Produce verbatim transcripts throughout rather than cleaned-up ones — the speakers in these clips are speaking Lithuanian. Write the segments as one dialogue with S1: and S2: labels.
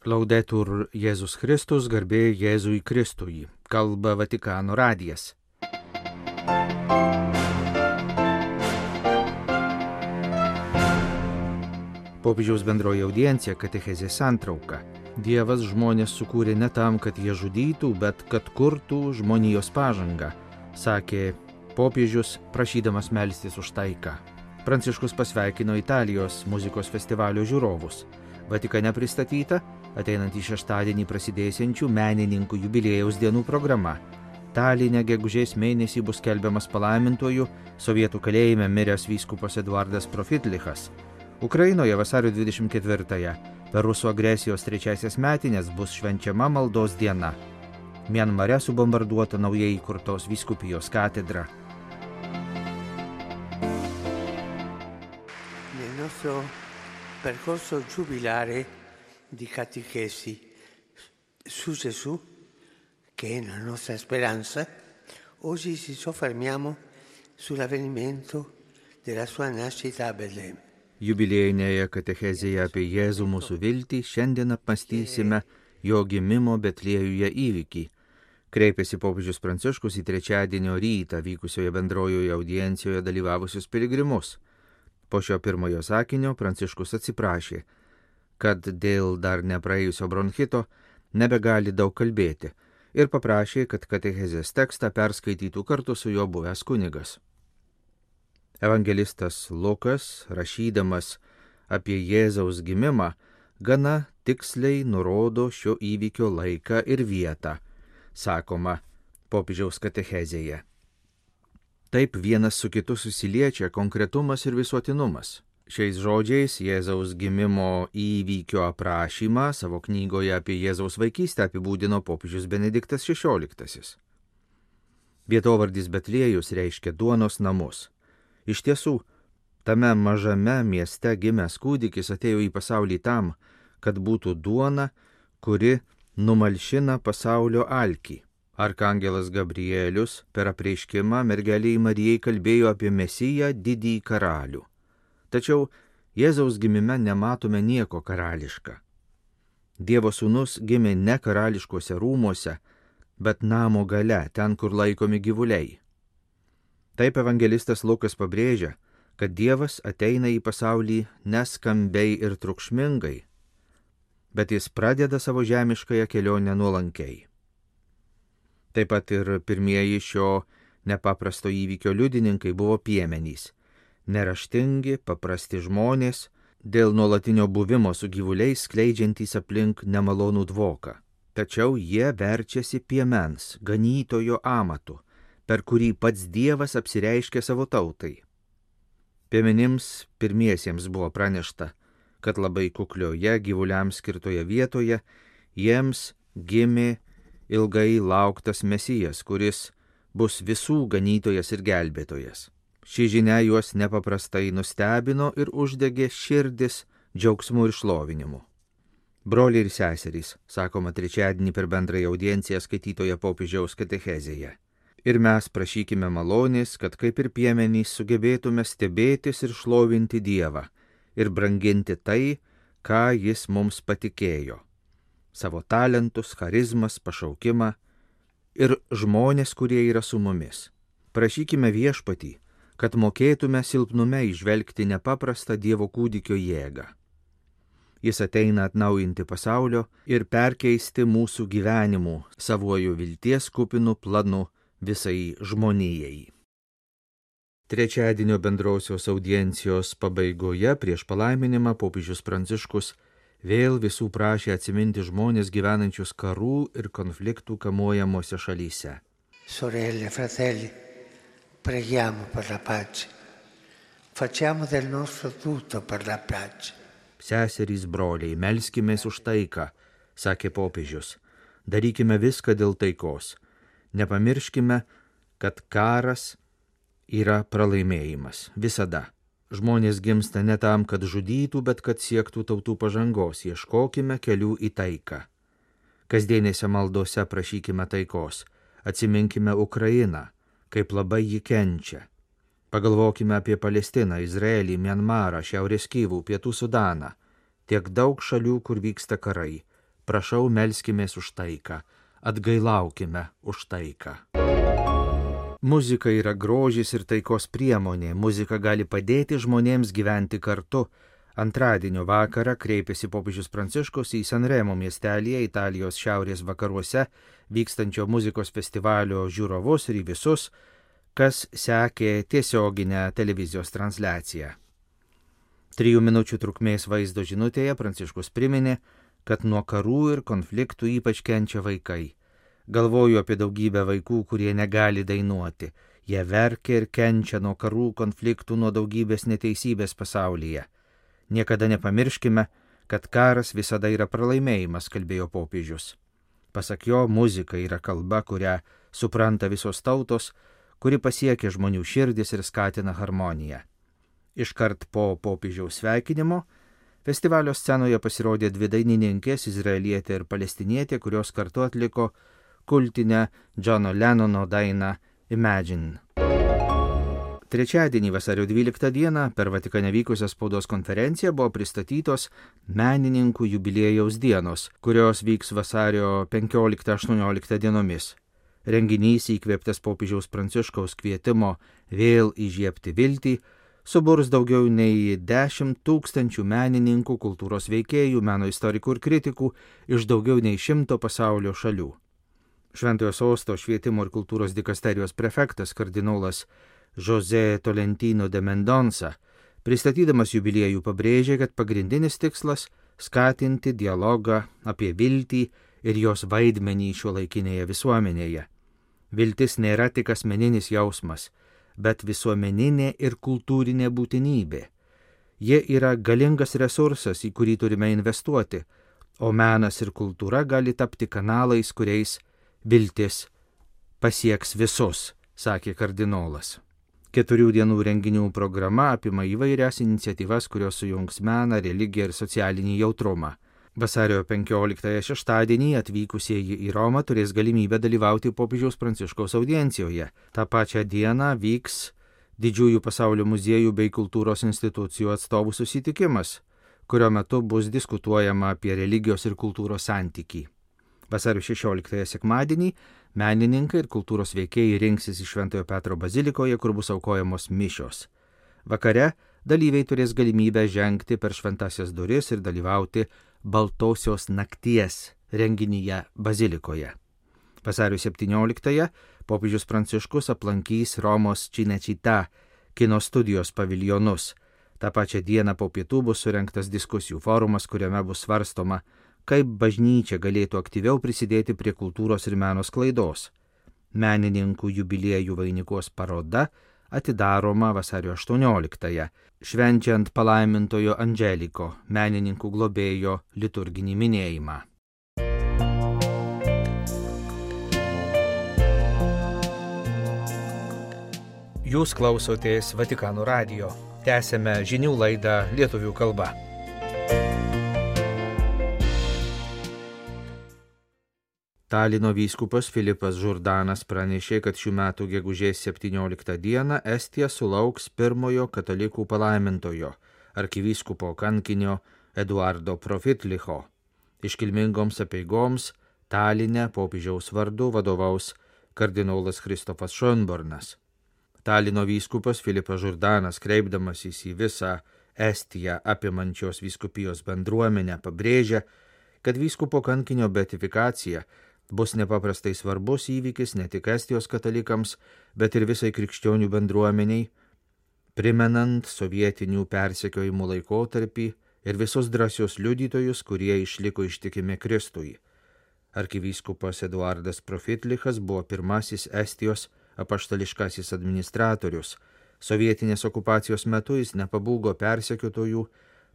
S1: Laudetur Jėzus Kristus, garbė Jėzui Kristui. Kalba Vatikano radijas. Popiežiaus bendroji audiencija katechezės santrauka. Dievas žmonės sukūrė ne tam, kad jie žudytų, bet kad kurtų žmonijos pažangą, sakė popiežius, prašydamas melstis už taiką. Pranciškus pasveikino Italijos muzikos festivalio žiūrovus. Vatikane pristatyta ateinantį šeštadienį prasidėsiančių menininkų jubiliejaus dienų programa. Taline gegužės mėnesį bus skelbiamas palaimintuoju sovietų kalėjime miręs vyskupas Eduardas Profitlichas. Ukrainoje vasario dvidešimt ketvirtąją per rusų agresijos trečiasias metinės bus švenčiama maldos diena. Mianmare subombarduota naujai įkurtos vyskupijos katedra.
S2: Nel nostro percorso giubilare di catechesi su Gesù, che è la nostra speranza, oggi ci soffermiamo sull'avvenimento della sua nascita a Betlemme.
S1: Jubiliejinėje katechezėje apie Jėzų mūsų viltį šiandien apmąstysime jo gimimo Betliejuje įvykį. Kreipėsi popiežius Pranciškus į trečiadienio rytą vykusioje bendrojoje audiencijoje dalyvavusius piligrimus. Po šio pirmojo sakinio Pranciškus atsiprašė, kad dėl dar nepraėjusio bronchito nebegali daug kalbėti ir paprašė, kad katechezės tekstą perskaitytų kartu su juo buvęs kunigas. Evangelistas Lukas, rašydamas apie Jėzaus gimimą, gana tiksliai nurodo šio įvykio laiką ir vietą, sakoma popiežiaus katechezėje. Taip vienas su kitu susiliečia konkretumas ir visuotinumas. Šiais žodžiais Jėzaus gimimo įvykio aprašymą savo knygoje apie Jėzaus vaikystę apibūdino popiežius Benediktas šešioliktasis. Vietovardis Betliejus reiškia duonos namus. Iš tiesų, tame mažame mieste gimęs kūdikis atėjo į pasaulį tam, kad būtų duona, kuri numalšina pasaulio alkį. Arkangelas Gabrielius per apreiškimą mergeliai Marijai kalbėjo apie Mesiją, didįjį karalių. Tačiau Jėzaus gimime nematome nieko karališka. Dievo sūnus gimė ne karališkuose rūmuose, bet namo gale, ten, kur laikomi gyvuliai. Taip evangelistas Lukas pabrėžia, kad Dievas ateina į pasaulį neskambiai ir triukšmingai, bet jis pradeda savo žemiškąją kelionę nuolankiai. Taip pat ir pirmieji šio nepaprasto įvykio liudininkai buvo piemenys. Neraštingi, paprasti žmonės, dėl nuolatinio buvimo su gyvuliais skleidžiantys aplink nemalonų dvoką. Tačiau jie verčiasi piemens, ganytojo amatu, per kurį pats Dievas apsireiškė savo tautai. Piemenims pirmiesiems buvo pranešta, kad labai kuklioje gyvuliams skirtoje vietoje jiems gimė ilgai lauktas Mesijas, kuris bus visų ganytojas ir gelbėtojas. Ši žinia juos nepaprastai nustebino ir uždegė širdis džiaugsmu ir šlovinimu. Broliai ir seserys, sakoma trečiadienį per bendrąją audienciją skaitytoje popiežiaus katechezėje. Ir mes prašykime malonės, kad kaip ir piemenys sugebėtume stebėtis ir šlovinti Dievą ir branginti tai, ką Jis mums patikėjo. Savo talentus, charizmas, pašaukimą ir žmonės, kurie yra su mumis. Prašykime Viešpatį, kad mokėtume silpnume įžvelgti nepaprastą Dievo kūdikio jėgą. Jis ateina atnaujinti pasaulio ir perkeisti mūsų gyvenimų savuoju vilties kupinu planu visai žmonijai. Trečiadienio bendrosios audiencijos pabaigoje prieš palaiminimą popiežius Pranciškus vėl visų prašė atsiminti žmonės gyvenančius karų ir konfliktų kamuojamose šalyse.
S2: Sorelle, fratelli, preghiamo per la pace. Facciamo del nostro tutto per la pace.
S1: Seserys, broliai, melskimės už taiką, sakė popiežius. Darykime viską dėl taikos. Nepamirškime, kad karas yra pralaimėjimas. Visada. Žmonės gimsta ne tam, kad žudytų, bet kad siektų tautų pažangos. Ieškokime kelių į taiką. Kasdienėse maldose prašykime taikos. Atsiminkime Ukrainą, kaip labai ji kenčia. Pagalvokime apie Palestiną, Izraelį, Mianmarą, Šiaurės Kyvų, Pietų Sudaną. Tiek daug šalių, kur vyksta karai. prašau, melskimės už taiką, atgailaukime už taiką. Muzika yra grožis ir taikos priemonė, muzika gali padėti žmonėms gyventi kartu. Antradienio vakarą kreipėsi popiežius Pranciškus į Sanremo miestelyje Italijos šiaurės vakaruose vykstančio muzikos festivalio žiūrovus ir į visus, kas sekė tiesioginę televizijos transliaciją. Trijų minučių trukmės vaizdo žinutėje Pranciškus priminė, kad nuo karų ir konfliktų ypač kenčia vaikai. Galvoju apie daugybę vaikų, kurie negali dainuoti. Jie verkia ir kenčia nuo karų, konfliktų, nuo daugybės neteisybės pasaulyje. Niekada nepamirškime, kad karas visada yra pralaimėjimas, kalbėjo popiežius. Pasak jo, muzika yra kalba, kurią supranta visos tautos, kuri pasiekia žmonių širdis ir skatina harmoniją. Iškart po popiežiaus sveikinimo festivalio scenoje pasirodė dvi dainininkės, izraelietė ir palestinietė, kurios kartu atliko kultinę Džono Lennono dainą Imagine. Trečiadienį vasario dvyliktą dieną per Vatikane vykusią spaudos konferenciją buvo pristatytos menininkų jubiliejaus dienos, kurios vyks vasario penkioliktą aštuonioliktą dienomis. Renginys įkvėptas popiežiaus Pranciškaus kvietimo vėl įžiebti viltį, suburs daugiau nei dešimt tūkstančių menininkų, kultūros veikėjų, meno istorikų ir kritikų iš daugiau nei šimto pasaulio šalių. Šventojo sosto švietimo ir kultūros dikasterijos prefektas kardinolas José Tolentino de Mendonça, pristatydamas jubiliejų, pabrėžė, kad pagrindinis tikslas – skatinti dialogą apie viltį ir jos vaidmenį šiuolaikinėje visuomenėje. Viltis nėra tik asmeninis jausmas, bet visuomeninė ir kultūrinė būtinybė. Jie yra galingas resursas, į kurį turime investuoti, o menas ir kultūra gali tapti kanalais, kuriais viltis pasieks visus, sakė kardinolas. Keturių dienų renginių programa apima įvairias iniciatyvas, kurios sujungs meną, religiją ir socialinį jautrumą. Vasario penkioliktąją šeštadienį atvykusieji į Romą turės galimybę dalyvauti popiežiaus Pranciškaus audiencijoje. Ta pačia diena vyks didžiųjų pasaulio muziejų bei kultūros institucijų atstovų susitikimas, kurio metu bus diskutuojama apie religijos ir kultūros santykį. Vasario šešioliktąją sekmadienį menininkai ir kultūros veikėjai rinksis į Šventojo Petro bazilikoje, kur bus aukojamos mišios. Vakare dalyviai turės galimybę žengti per šventasias duris ir dalyvauti Baltosios nakties renginyje bazilikoje. Vasario septynioliktąją popiežius Pranciškus aplankys Romos Cinecittà kino studijos paviljonus. Ta pačia diena po pietų bus surengtas diskusijų forumas, kuriame bus svarstoma, kaip bažnyčia galėtų aktyviau prisidėti prie kultūros ir meno sklaidos. Menininkų jubiliejų vainikuos paroda atidaroma vasario aštuonioliktąją, švenčiant palaimintojo Andželiko, menininkų globėjo liturginį minėjimą. Jūs klausotės Vatikano radijo. Tęsėme žinių laidą lietuvių kalba. Talino vyskupas Filipas Žurdanas pranešė, kad šių metų gegužės septynioliktą dieną Estija sulauks pirmojo katalikų palaimintojo, arkivyskupo kankinio Eduardo Profitlicho. Iškilmingoms apeigoms Taline popiežiaus vardu vadovaus kardinolas Kristofas Šönbornas. Talino vyskupas Filipas Žurdanas, kreipdamasis į visą Estiją apimančios vyskupijos bendruomenę, pabrėžia, kad vyskupo kankinio beatifikacija bus nepaprastai svarbus įvykis ne tik Estijos katalikams, bet ir visai krikščionių bendruomeniai, primenant sovietinių persekiojimų laikotarpį ir visus drąsius liudytojus, kurie išliko ištikimi Kristui. Arkivyskupas Eduardas Profitlichas buvo pirmasis Estijos apaštališkasis administratorius. Sovietinės okupacijos metu jis nepabūgo persekiotojų,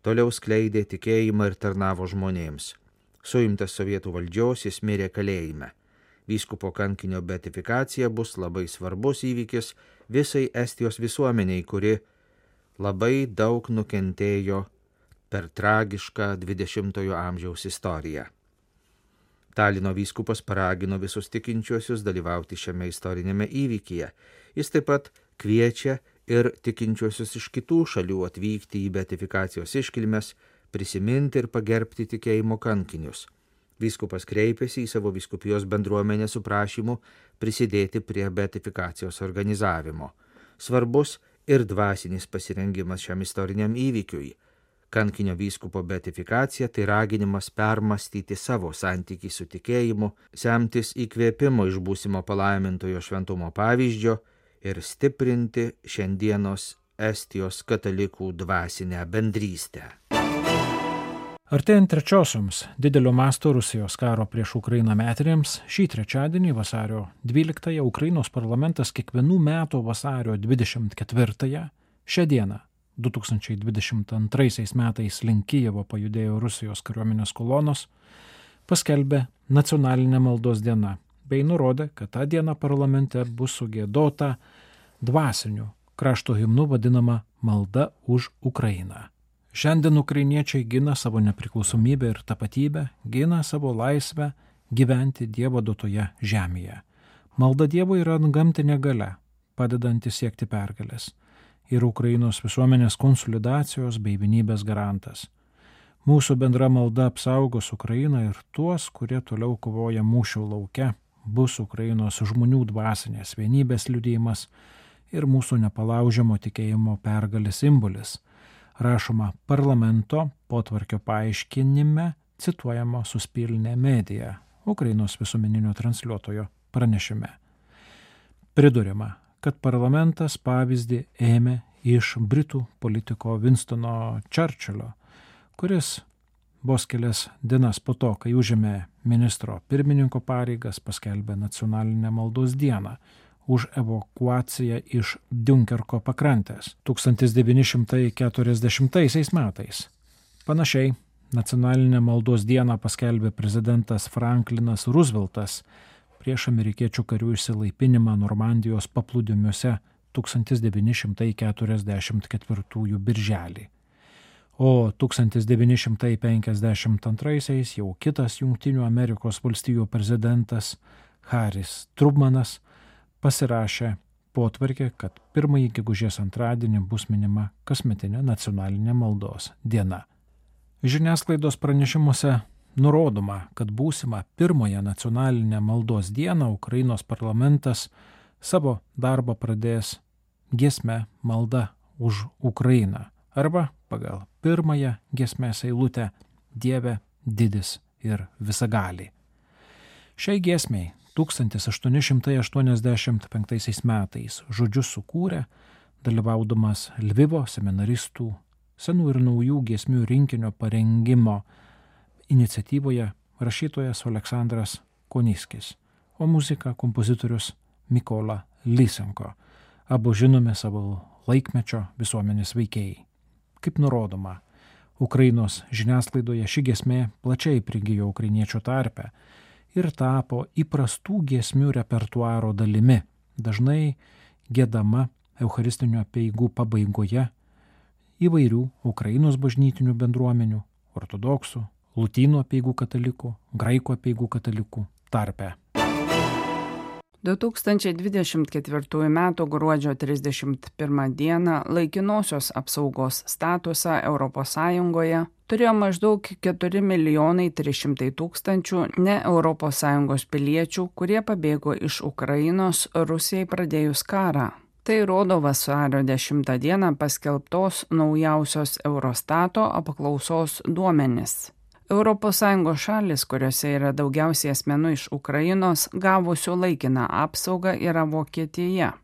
S1: toliau skleidė tikėjimą ir tarnavo žmonėms. Suimtas sovietų valdžios, jis mirė kalėjime. Vyskupo kankinio beatifikacija bus labai svarbus įvykis visai Estijos visuomeniai, kuri labai daug nukentėjo per tragišką dvidešimtojo amžiaus istoriją. Talino vyskupas paragino visus tikinčiuosius dalyvauti šiame istorinėme įvykyje. Jis taip pat kviečia ir tikinčiuosius iš kitų šalių atvykti į beatifikacijos iškilmes, prisiminti ir pagerbti tikėjimo kankinius. Vyskupas kreipėsi į savo vyskupijos bendruomenę su prašymu prisidėti prie beatifikacijos organizavimo. Svarbus ir dvasinis pasirengimas šiam istoriniam įvykiui. Kankinio vyskupo beatifikacija tai raginimas permastyti savo santykį su tikėjimu, semtis įkvėpimo iš būsimo palaimintojo šventumo pavyzdžio ir stiprinti šiandienos Estijos katalikų dvasinę bendrystę.
S3: Artėjant trečiosioms didelio masto Rusijos karo prieš Ukrainą metinėms, šį trečiadienį vasario dvyliktąją Ukrainos parlamentas kiekvienų metų vasario dvidešimt ketvirtąją šią dieną du tūkstančiai dvidešimt antraisiais metais link Kijevo pajudėjo Rusijos kariuomenės kolonos, paskelbė nacionalinę maldos dieną, bei nurodė, kad tą dieną parlamente bus sugiedota dvasiniu krašto himnu vadinama Malda už Ukrainą. Šiandien ukrainiečiai gina savo nepriklausomybę ir tapatybę, gina savo laisvę gyventi Dievo duotoje žemėje. Malda Dievui yra antgamtinė galia, padedanti siekti pergalės, ir Ukrainos visuomenės konsolidacijos bei vienybės garantas. Mūsų bendra malda apsaugos Ukrainą ir tuos, kurie toliau kovoja mūšio lauke, bus Ukrainos žmonių dvasinės vienybės liudijimas ir mūsų nepalaužiamo tikėjimo pergalės simbolis, rašoma parlamento potvarkio paaiškinime, cituojama Suspilne medija, Ukrainos visuomeninio transliuotojo pranešime. Priduriama, kad parlamentas pavyzdį ėmė iš britų politiko Winstono Churchillio, kuris vos kelias dienas po to, kai užėmė ministro pirmininko pareigas, paskelbė nacionalinę maldos dieną už evakuaciją iš Dunkerko pakrantės tūkstantis devyni šimtai keturiasdešimtaisiais metais. Panašiai, nacionalinę maldos dieną paskelbė prezidentas Franklinas Rooseveltas prieš amerikiečių karių išsilaipinimą Normandijos paplūdimiuose tūkstantis devyni šimtai keturiasdešimt ketvirtųjų birželį. O tūkstantis devyni šimtai penkiasdešimt antraisiais jau kitas Jungtinių Amerikos valstijų prezidentas Haris Trubmanas pasirašė potvarkę, kad pirmąjį gegužės antradienį bus minima kasmetinė nacionalinė maldos diena. Žiniasklaidos pranešimuose nurodoma, kad būsimą pirmąją nacionalinę maldos dieną Ukrainos parlamentas savo darbą pradės giesme Malda už Ukrainą arba pagal pirmąją giesmės eilutę Dieve didis ir visagali. Šiai giesmei tūkstantis aštuoni šimtai aštuoniasdešimt penktaisiais metais žodžius sukūrė, dalyvaudamas Lvivo seminaristų senų ir naujų giesmių rinkinio parengimo iniciatyvoje rašytojas Aleksandras Koniskis, o muzika kompozitorius Mykola Lysenko, abu žinomi savo laikmečio visuomenės veikėjai. Kaip nurodoma, Ukrainos žiniasklaidoje ši giesmė plačiai prigijo ukrainiečių tarpe ir tapo įprastų giesmių repertuaro dalimi, dažnai giedama eucharistinio apeigų pabaigoje įvairių Ukrainos bažnytinių bendruomenių, ortodoksų, lotynų apeigų katalikų, graikų apeigų katalikų tarpe.
S4: du tūkstančiai dvidešimt ketvirtųjų metų gruodžio trisdešimt pirmą dieną laikinosios apsaugos statusą Europos Sąjungoje turėjo maždaug keturi milijonai trys šimtai tūkstančių ne Europos Sąjungos piliečių, kurie pabėgo iš Ukrainos Rusijai pradėjus karą. Tai rodo vasario dešimtą dieną paskelbtos naujausios Eurostato apklausos duomenys. Europos Sąjungos šalis, kuriuose yra daugiausiai asmenų iš Ukrainos, gavusių laikiną apsaugą yra Vokietija.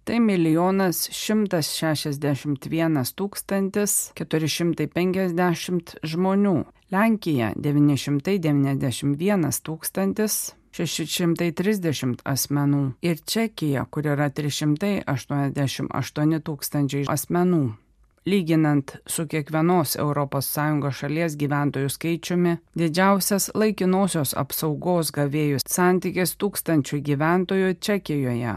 S4: Tai milijonas šimtas šešiasdešimt vienas tūkstantis keturi šimtai penkiasdešimt žmonių. Lenkija devyni šimtai devyniasdešimt vienas tūkstantis šeši šimtai trisdešimt asmenų ir Čekija, kur yra trys šimtai aštuoniasdešimt aštuoni tūkstančiai asmenų. Lyginant su kiekvienos Europos Sąjungos šalies gyventojų skaičiumi, didžiausias laikinosios apsaugos gavėjų santykis tūkstančių gyventojų Čekijoje.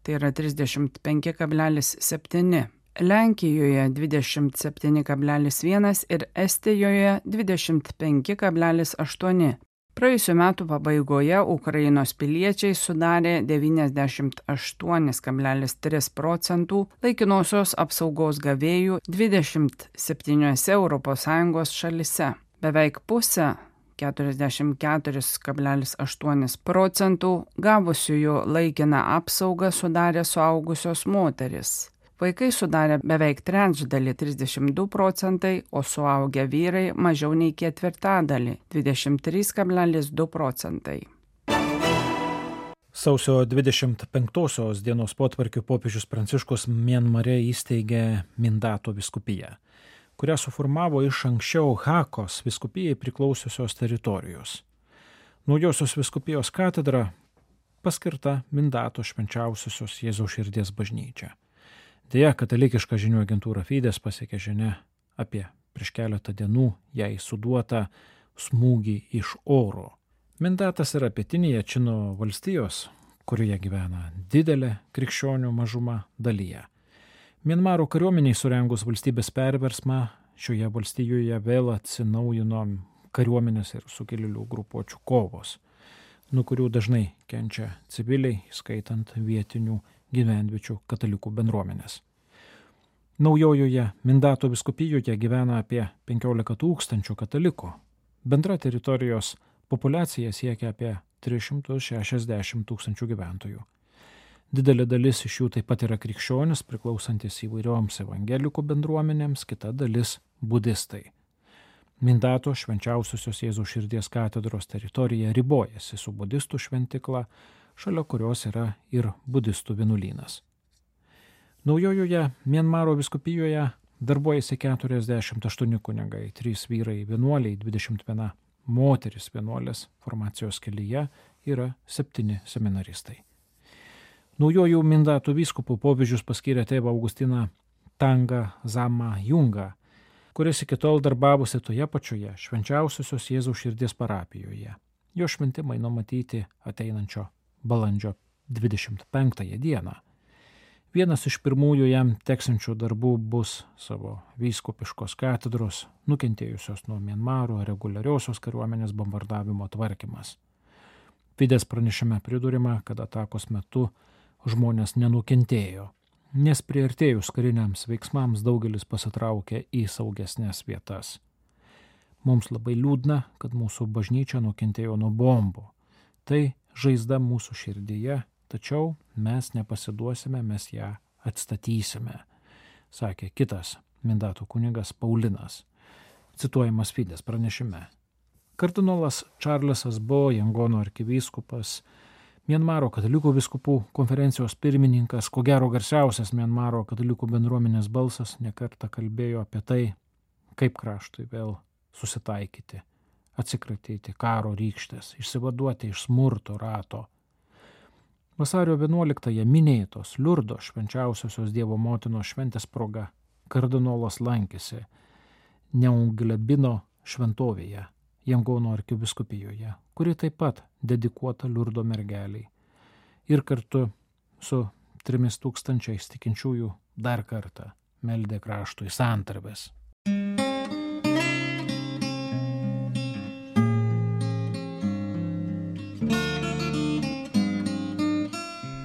S4: Tai yra trisdešimt penki kablelis septyni. Lenkijoje dvidešimt septyni kablelis vienas ir Estijoje dvidešimt penki kablelis aštuoni. Praėjusiu metu pabaigoje Ukrainos piliečiai sudarė devyniasdešimt aštuoni kablelis trys procentų laikinosios apsaugos gavėjų dvidešimt septyniose Europos Sąjungos šalise. Beveik pusę, keturiasdešimt keturis kablelis aštuonis procentų, gavusiųjų laikiną apsaugą sudarė suaugusios moteris. Vaikai sudarė beveik trečdalį trisdešimt du procentai, o suaugę vyrai mažiau nei ketvirtadalį dvidešimt trys kablelis du procentai.
S3: Sausio dvidešimt penktosios dienos potvarkiu popiežius Pranciškus Mianmare įsteigė Mindato vyskupiją, kurią suformavo iš anksčiau Hakos vyskupijai priklausiusios teritorijos. Naujosios vyskupijos katedra paskirta Mindato švenčiausiosios Jėzaus širdies bažnyčia. Deja, katalikiška žinių agentūra Fides pasiekė žinia apie prieš keletą dienų jai suduotą smūgį iš oro. Mindatas yra pietinėje Čino valstijos, kurioje gyvena didelė krikščionių mažuma dalyje. Mianmaro kariuomeniai surengus valstybės perversmą, šioje valstijoje vėl atsinaujino kariuomenės ir sukilėlių grupuočių kovos, nuo kurių dažnai kenčia civiliai, skaitant vietinių gyvenviečių katalikų bendruomenės. Naujojoje Mindato vyskupijoje gyvena apie penkiolika tūkstančių katalikų. Bendra teritorijos populiacija siekia apie tris šimtus šešiasdešimt tūkstančių gyventojų. Didelė dalis iš jų taip pat yra krikščionis, priklausantis įvairioms evangelikų bendruomenėms, kita dalis budistai. Mindato švenčiausiosios Jėzaus širdies katedros teritorija ribojasi su budistų šventikla, šalia kurios yra ir budistų vienuolynas. Naujojoje Mianmaro vyskupijoje darbuojasi keturiasdešimt aštuoni kunigai, trys vyrai vienuoliai, dvidešimt viena moteris vienuolės, formacijos kelyje yra septyni seminaristai. Naujojų Mindato vyskupų popiežius paskyrė tėvą Augustiną Tangą Zamą Jungą, kuris iki tol darbavusi toje pačioje švenčiausiosios Jėzaus širdies parapijoje. Jo šventimai numatyti ateinančio balandžio dvidešimt penktąją dieną. Vienas iš pirmųjų jam teksančių darbų bus savo vyskupiškos katedros, nukentėjusios nuo Mianmaro reguliariosios kariuomenės bombardavimo tvarkymas. Fides pranešime pridurima, kad atakos metu žmonės nenukentėjo, nes priartėjus kariniams veiksmams daugelis pasitraukė į saugesnės vietas. Mums labai liūdna, kad mūsų bažnyčia nukentėjo nuo bombų. Tai žaizda mūsų širdyje, tačiau mes nepasiduosime, mes ją atstatysime, sakė kitas Mindato kunigas Paulinas, cituojamas Fides pranešime. Kardinolas Čarlesas Bo, Jangono arkivyskupas, Mianmaro katalikų vyskupų konferencijos pirmininkas, ko gero garsiausias Mianmaro katalikų bendruomenės balsas, nekartą kalbėjo apie tai, kaip kraštui vėl susitaikyti, atsikratyti karo rykštės, išsivaduoti iš smurto rato. Vasario vienuoliktąją minėtos Liurdo švenčiausiosios Dievo motinos šventės proga kardinolas lankėsi Neunglebino šventovėje, Jangono arkivyskupijoje, kuri taip pat dedikuota Liurdo mergeliai. Ir kartu su trimis tūkstančiais tikinčiųjų dar kartą meldė kraštui santarvės.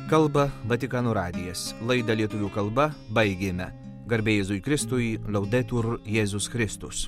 S1: Kalba Vatikano radijas. Laidą lietuvių kalba baigėme. Garbė Jėzui Kristui, Laudetur Jėzus Kristus.